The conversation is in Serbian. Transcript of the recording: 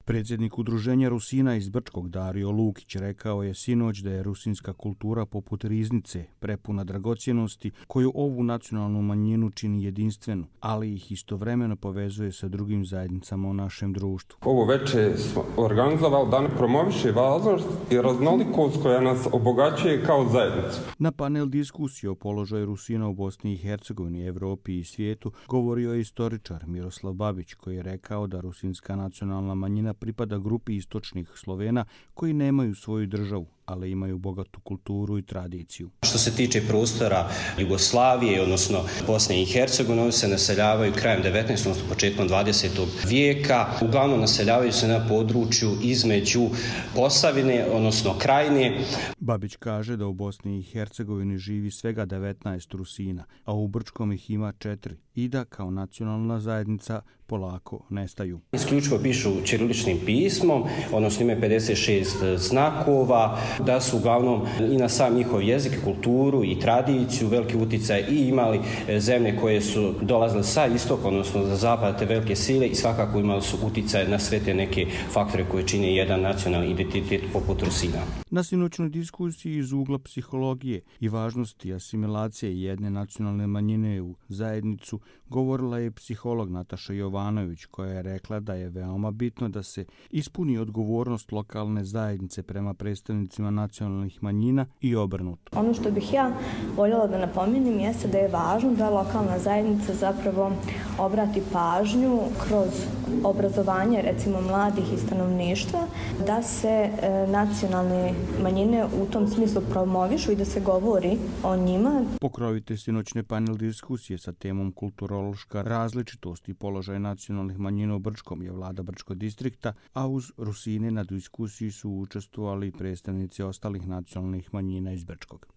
Predsjednik udruženja Rusina iz Brčkog Dario Lukić rekao je sinoć da je rusinska kultura poput riznice, prepuna dragocjenosti koju ovu nacionalnu manjinu čini jedinstvenu, ali ih istovremeno povezuje sa drugim zajednicama u našem društvu. Ovo večer smo organizovali da ne promoviše važnost i raznolikost koja nas obogaćuje kao zajednicu. Na panel diskusije o položaju Rusina u Bosni i Hercegovini, Evropi i svijetu govorio je istoričar Miroslav Babić koji je rekao da rusinska nacionalna manjina pripada grupi istočnih Slovena koji nemaju svoju državu, ali imaju bogatu kulturu i tradiciju. Što se tiče prostora Jugoslavije, odnosno Bosne i Hercegovine, oni se naseljavaju krajem 19. odnosno početkom 20. vijeka. Uglavnom naseljavaju se na području između Posavine, odnosno Krajine. Babić kaže da u Bosni i Hercegovini živi svega 19 Rusina, a u Brčkom ih ima 4 i da kao nacionalna zajednica polako nestaju. Isključivo pišu ćiriličnim pismom, odnosno imaju 56 znakova, da su uglavnom i na sam njihov jezik, kulturu i tradiciju veliki uticaj i imali zemlje koje su dolazile sa istoka, odnosno za zapad, te velike sile i svakako imali su uticaj na sve te neke faktore koje čine jedan nacionalni identitet poput Rusina. Na sinoćnoj diskusiji iz ugla psihologije i važnosti asimilacije jedne nacionalne manjine u zajednicu govorila je psiholog Nataša Jovanović koja je rekla da je veoma bitno da se ispuni odgovornost lokalne zajednice prema predstavnicima nacionalnih manjina i obrnuto. Ono što bih ja voljela da napomenem jeste da je važno da lokalna zajednica zapravo obrati pažnju kroz obrazovanje recimo mladih i stanovništva da se nacionalne manjine u tom smislu promovišu i da se govori o njima. Pokrovitelj sinoćne panel diskusije sa temom kulturološka različitost i položaj nacionalnih manjina u Brčkom je vlada Brčkog distrikta, a uz Rusine na diskusiji su učestvovali predstavnici ostalih nacionalnih manjina iz Brčkog.